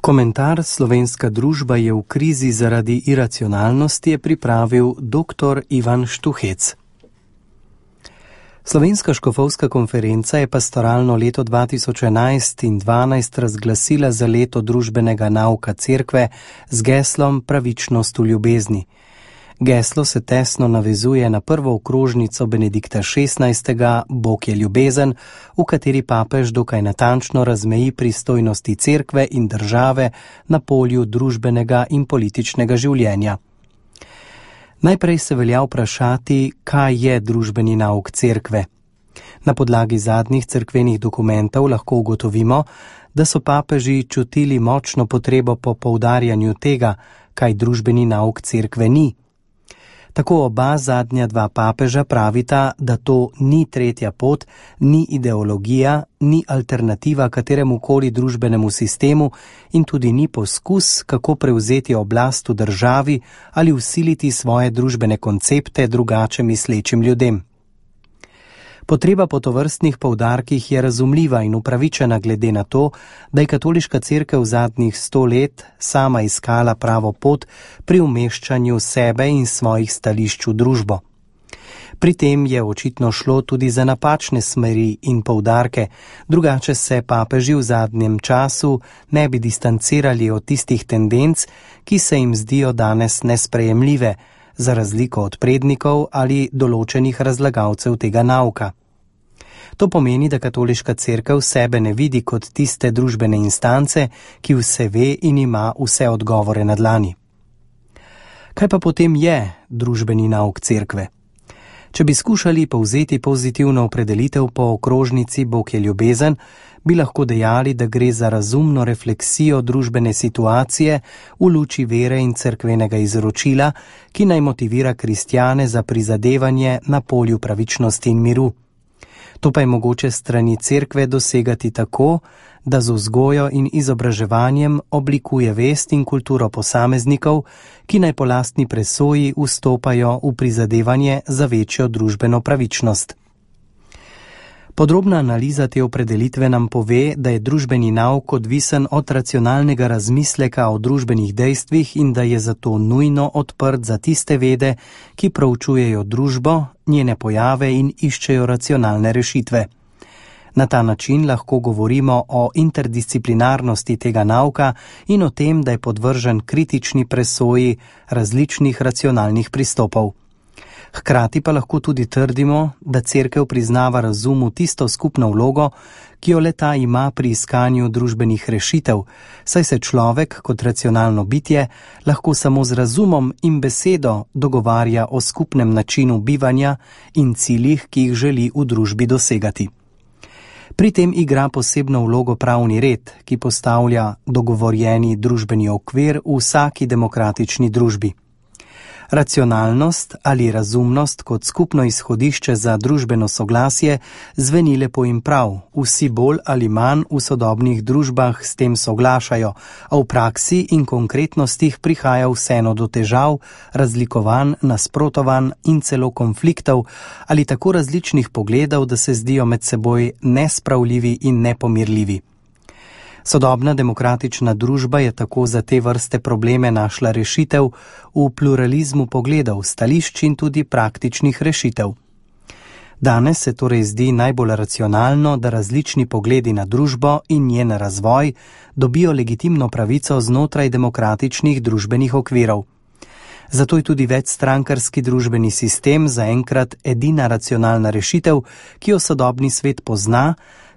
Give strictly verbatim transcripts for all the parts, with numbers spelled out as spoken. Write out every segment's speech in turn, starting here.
Komentar Slovenska družba je v krizi zaradi iracionalnosti je pripravil doktor Ivan Štuhec. Slovenska škofovska konferenca je pastoralno leto dva tisoč enajst in dvanajst razglasila za leto družbenega nauka cerkve z geslom Pravičnost v ljubezni. Geslo se tesno navezuje na prvo okrožnico Benedikta šestnajstega Bog je ljubezen, v kateri papež dokaj natančno razmeji pristojnosti cerkve in države na polju družbenega in političnega življenja. Najprej se velja vprašati, kaj je družbeni nauk cerkve. Na podlagi zadnjih cerkvenih dokumentov lahko ugotovimo, da so papeži čutili močno potrebo po poudarjanju tega, kaj družbeni nauk cerkve ni. Tako oba zadnja dva papeža pravita, da to ni tretja pot, ni ideologija, ni alternativa kateremukoli družbenemu sistemu in tudi ni poskus, kako prevzeti oblast v državi ali vsiliti svoje družbene koncepte drugače mislečim ljudem. Potreba po tovrstnih poudarkih je razumljiva in upravičena glede na to, da je katoliška cerkev v zadnjih sto let sama iskala pravo pot pri umeščanju sebe in svojih stališč v družbo. Pri tem je očitno šlo tudi za napačne smeri in poudarke, drugače se papeži v zadnjem času ne bi distancirali od tistih tendenc, ki se jim zdijo danes nesprejemljive, za razliko od prednikov ali določenih razlagalcev tega nauka. To pomeni, da katoliška cerkev sebe ne vidi kot tiste družbene instance, ki vse ve in ima vse odgovore na dlani. Kaj pa potem je družbeni nauk cerkve? Če bi skušali povzeti pozitivno opredelitev po okrožnici Bog je ljubezen, bi lahko dejali, da gre za razumno refleksijo družbene situacije v luči vere in cerkvenega izročila, ki naj motivira kristjane za prizadevanje na polju pravičnosti in miru. To pa je mogoče strani cerkve dosegati tako, da z vzgojo in izobraževanjem oblikuje vest in kulturo posameznikov, ki naj po lastni presoji vstopajo v prizadevanje za večjo družbeno pravičnost. Podrobna analiza te opredelitve nam pove, da je družbeni nauk odvisen od racionalnega razmisleka o družbenih dejstvih in da je zato nujno odprt za tiste vede, ki proučujejo družbo, njene pojave in iščejo racionalne rešitve. Na ta način lahko govorimo o interdisciplinarnosti tega nauka in o tem, da je podvržen kritični presoji različnih racionalnih pristopov. Hkrati pa lahko tudi trdimo, da cerkev priznava razumu tisto skupno vlogo, ki jo le-ta ima pri iskanju družbenih rešitev, saj se človek kot racionalno bitje lahko samo z razumom in besedo dogovarja o skupnem načinu bivanja in ciljih, ki jih želi v družbi dosegati. Pri tem igra posebno vlogo pravni red, ki postavlja dogovorjeni družbeni okvir v vsaki demokratični družbi. Racionalnost ali razumnost kot skupno izhodišče za družbeno soglasje zveni lepo in prav, vsi bolj ali manj v sodobnih družbah s tem soglašajo, a v praksi in konkretnostih prihaja vseeno do težav, razlikovanj, nasprotovanj in celo konfliktov ali tako različnih pogledov, da se zdijo med seboj nespravljivi in nepomirljivi. Sodobna demokratična družba je tako za te vrste probleme našla rešitev v pluralizmu pogledov, stališč in tudi praktičnih rešitev. Danes se torej zdi najbolj racionalno, da različni pogledi na družbo in njen razvoj dobijo legitimno pravico znotraj demokratičnih družbenih okvirov. Zato je tudi večstrankarski družbeni sistem zaenkrat edina racionalna rešitev, ki jo sodobni svet pozna,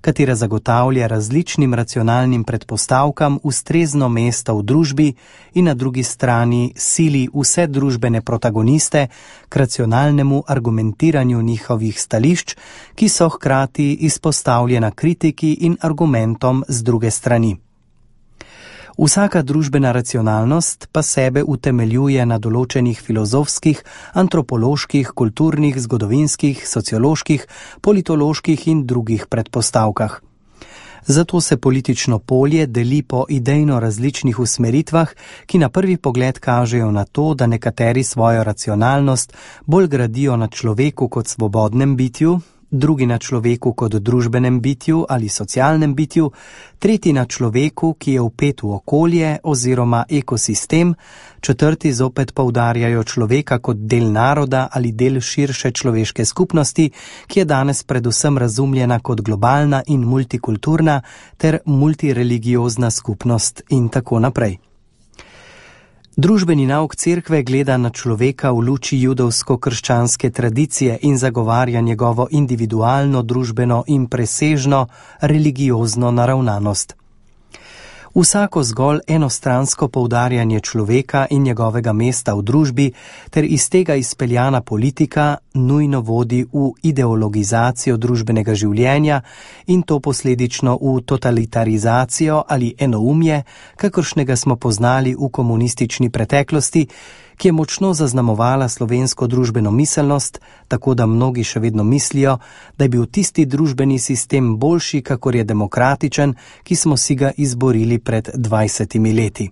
katera zagotavlja različnim racionalnim predpostavkam ustrezno mesto v družbi in na drugi strani sili vse družbene protagoniste k racionalnemu argumentiranju njihovih stališč, ki so hkrati izpostavljena kritiki in argumentom z druge strani. Vsaka družbena racionalnost pa sebe utemeljuje na določenih filozofskih, antropoloških, kulturnih, zgodovinskih, socioloških, politoloških in drugih predpostavkah. Zato se politično polje deli po idejno različnih usmeritvah, ki na prvi pogled kažejo na to, da nekateri svojo racionalnost bolj gradijo na človeku kot svobodnem bitju, drugi na človeku kot družbenem bitju ali socialnem bitju, tretji na človeku, ki je vpet v okolje oziroma ekosistem, četrti zopet poudarjajo človeka kot del naroda ali del širše človeške skupnosti, ki je danes predvsem razumljena kot globalna in multikulturna ter multireligiozna skupnost in tako naprej. Družbeni nauk cerkve gleda na človeka v luči judovsko-krščanske tradicije in zagovarja njegovo individualno, družbeno in presežno religiozno naravnanost. Vsako zgolj enostransko poudarjanje človeka in njegovega mesta v družbi ter iz tega izpeljana politika nujno vodi v ideologizacijo družbenega življenja in to posledično v totalitarizacijo ali enoumje, kakršnega smo poznali v komunistični preteklosti, ki je močno zaznamovala slovensko družbeno miselnost, tako da mnogi še vedno mislijo, da je bil tisti družbeni sistem boljši, kakor je demokratičen, ki smo si ga izborili pred dvajsetimi leti.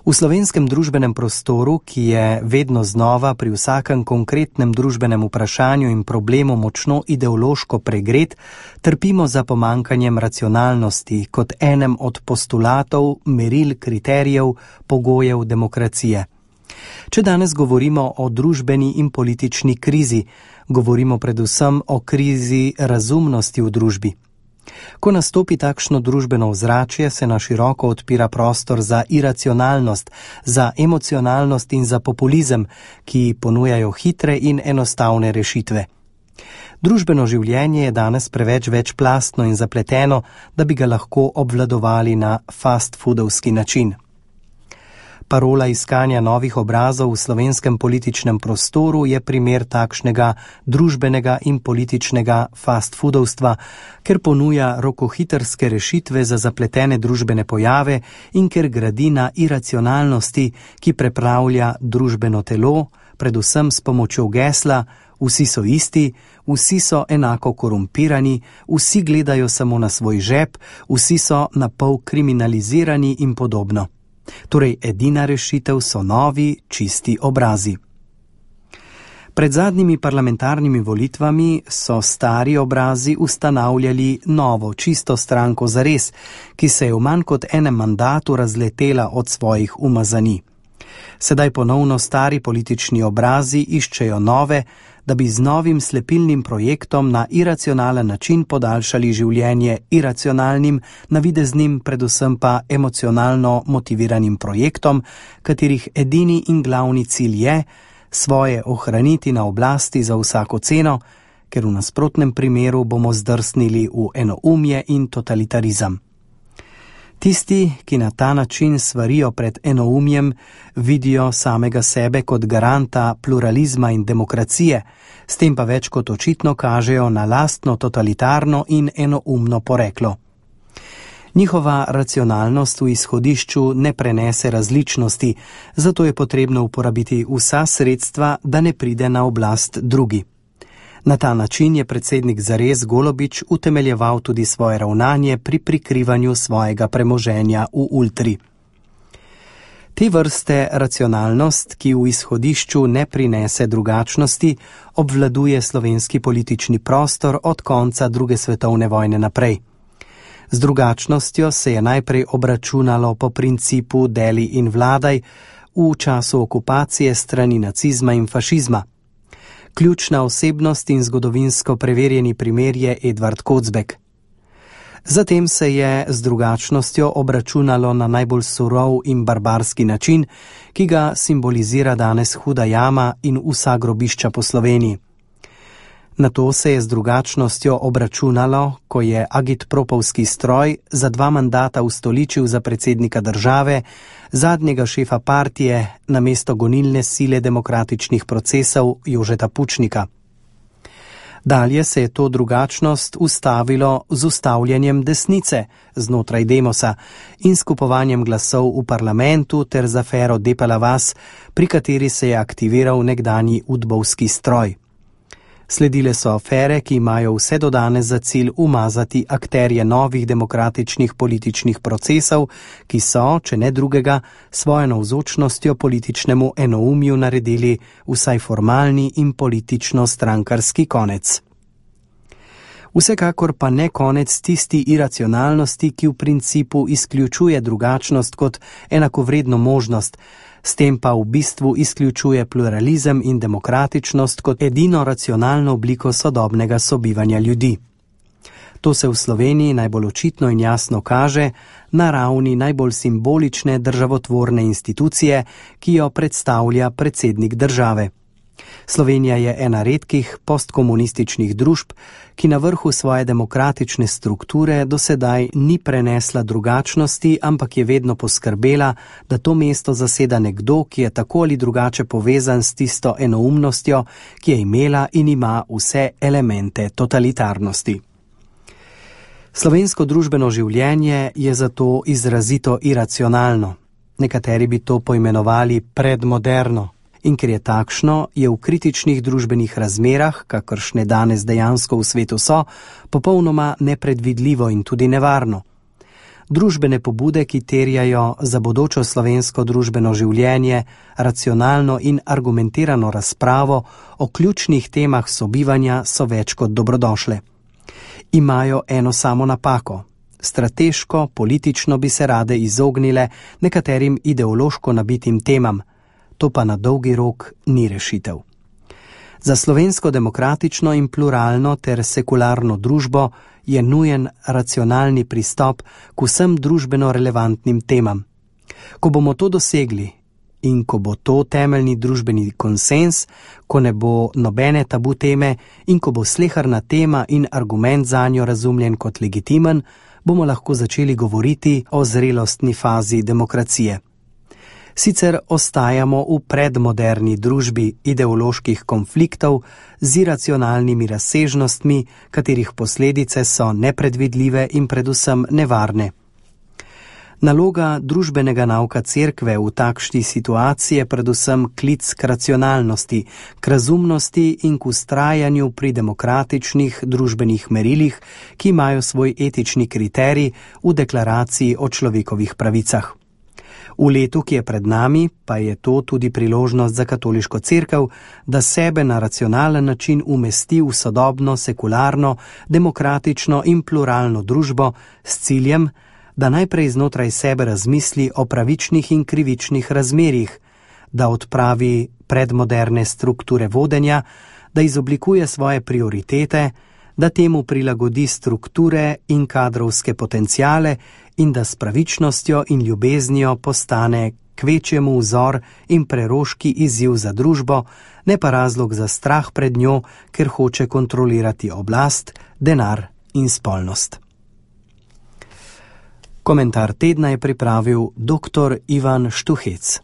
V slovenskem družbenem prostoru, ki je vedno znova pri vsakem konkretnem družbenem vprašanju in problemu močno ideološko pregret, trpimo za pomanjkanjem racionalnosti kot enem od postulatov, meril, kriterijev, pogojev demokracije. Če danes govorimo o družbeni in politični krizi, govorimo predvsem o krizi razumnosti v družbi. Ko nastopi takšno družbeno ozračje, se na široko odpira prostor za iracionalnost, za emocionalnost in za populizem, ki ponujajo hitre in enostavne rešitve. Družbeno življenje je danes preveč večplastno in zapleteno, da bi ga lahko obvladovali na fast foodovski način. Parola iskanja novih obrazov v slovenskem političnem prostoru je primer takšnega družbenega in političnega fast foodovstva, ker ponuja rokohitrske rešitve za zapletene družbene pojave in ker gradi na iracionalnosti, ki prepravlja družbeno telo, predvsem s pomočjo gesla vsi so isti, vsi so enako korumpirani, vsi gledajo samo na svoj žep, vsi so napol kriminalizirani in podobno. Torej, edina rešitev so novi, čisti obrazi. Pred zadnjimi parlamentarnimi volitvami so stari obrazi ustanavljali novo, čisto stranko zares, ki se je v manj kot enem mandatu razletela od svojih umazani. Sedaj ponovno stari politični obrazi iščejo nove, da bi z novim slepilnim projektom na iracionalen način podaljšali življenje iracionalnim, navideznim, predvsem pa emocionalno motiviranim projektom, katerih edini in glavni cilj je svoje ohraniti na oblasti za vsako ceno, ker v nasprotnem primeru bomo zdrsnili v enoumje in totalitarizem. Tisti, ki na ta način svarijo pred enoumjem, vidijo samega sebe kot garanta pluralizma in demokracije, s tem pa več kot očitno kažejo na lastno totalitarno in enoumno poreklo. Njihova racionalnost v izhodišču ne prenese različnosti, zato je potrebno uporabiti vsa sredstva, da ne pride na oblast drugi. Na ta način je predsednik zares Golobič utemeljeval tudi svoje ravnanje pri prikrivanju svojega premoženja v Ultri. Te vrste racionalnost, ki v izhodišču ne prinese drugačnosti, obvladuje slovenski politični prostor od konca druge svetovne vojne naprej. Z drugačnostjo se je najprej obračunalo po principu deli in vladaj v času okupacije strani nacizma in fašizma. Ključna osebnost in zgodovinsko preverjeni primer je Edvard Kocbek. Zatem se je z drugačnostjo obračunalo na najbolj surov in barbarski način, ki ga simbolizira danes Huda jama in vsa grobišča po Sloveniji. Nato se je z drugačnostjo obračunalo, ko je agitpropovski stroj za dva mandata ustoličil za predsednika države, zadnjega šefa partije, namesto gonilne sile demokratičnih procesov Jožeta Pučnika. Dalje se je to drugačnost ustavilo z ustavljanjem desnice znotraj Demosa in skupovanjem glasov v parlamentu ter z afero Depala vas, pri kateri se je aktiviral nekdanji udbovski stroj. Sledile so afere, ki imajo vse do danes za cilj umazati akterje novih demokratičnih političnih procesov, ki so, če ne drugega, svojo navzočnostjo političnemu enoumju naredili vsaj formalni in politično strankarski konec. Vsekakor pa ne konec tisti iracionalnosti, ki v principu izključuje drugačnost kot enakovredno možnost, s tem pa v bistvu izključuje pluralizem in demokratičnost kot edino racionalno obliko sodobnega sobivanja ljudi. To se v Sloveniji najbolj očitno in jasno kaže na ravni najbolj simbolične državotvorne institucije, ki jo predstavlja predsednik države. Slovenija je ena redkih postkomunističnih družb, ki na vrhu svoje demokratične strukture do sedaj ni prenesla drugačnosti, ampak je vedno poskrbela, da to mesto zaseda nekdo, ki je tako ali drugače povezan s tisto enoumnostjo, ki je imela in ima vse elemente totalitarnosti. Slovensko družbeno življenje je zato izrazito iracionalno. Nekateri bi to poimenovali predmoderno. In ker je takšno, je v kritičnih družbenih razmerah, kakršne danes dejansko v svetu so, popolnoma nepredvidljivo in tudi nevarno. Družbene pobude, ki terjajo za bodočo slovensko družbeno življenje racionalno in argumentirano razpravo o ključnih temah sobivanja, so več kot dobrodošle. Imajo eno samo napako. Strateško, politično bi se rade izognile nekaterim ideološko nabitim temam. To pa na dolgi rok ni rešitev. Za slovensko demokratično in pluralno ter sekularno družbo je nujen racionalni pristop k vsem družbeno relevantnim temam. Ko bomo to dosegli in ko bo to temeljni družbeni konsens, ko ne bo nobene tabu teme in ko bo sleherna tema in argument zanjo razumljen kot legitimen, bomo lahko začeli govoriti o zrelostni fazi demokracije. Sicer ostajamo v predmoderni družbi ideoloških konfliktov z iracionalnimi razsežnostmi, katerih posledice so nepredvidljive in predvsem nevarne. Naloga družbenega nauka cerkve v takšni situaciji je predvsem klic k racionalnosti, k razumnosti in k vztrajanju pri demokratičnih družbenih merilih, ki imajo svoj etični kriterij v deklaraciji o človekovih pravicah. V letu, ki je pred nami, pa je to tudi priložnost za katoliško cerkev, da sebe na racionalen način umesti v sodobno, sekularno, demokratično in pluralno družbo s ciljem, da najprej znotraj sebe razmisli o pravičnih in krivičnih razmerjih, da odpravi predmoderne strukture vodenja, da izoblikuje svoje prioritete, da temu prilagodi strukture in kadrovske potenciale in da s pravičnostjo in ljubeznijo postane kvečjemu vzor in preroški izziv za družbo, ne pa razlog za strah pred njo, ker hoče kontrolirati oblast, denar in spolnost. Komentar tedna je pripravil doktor Ivan Štuhec.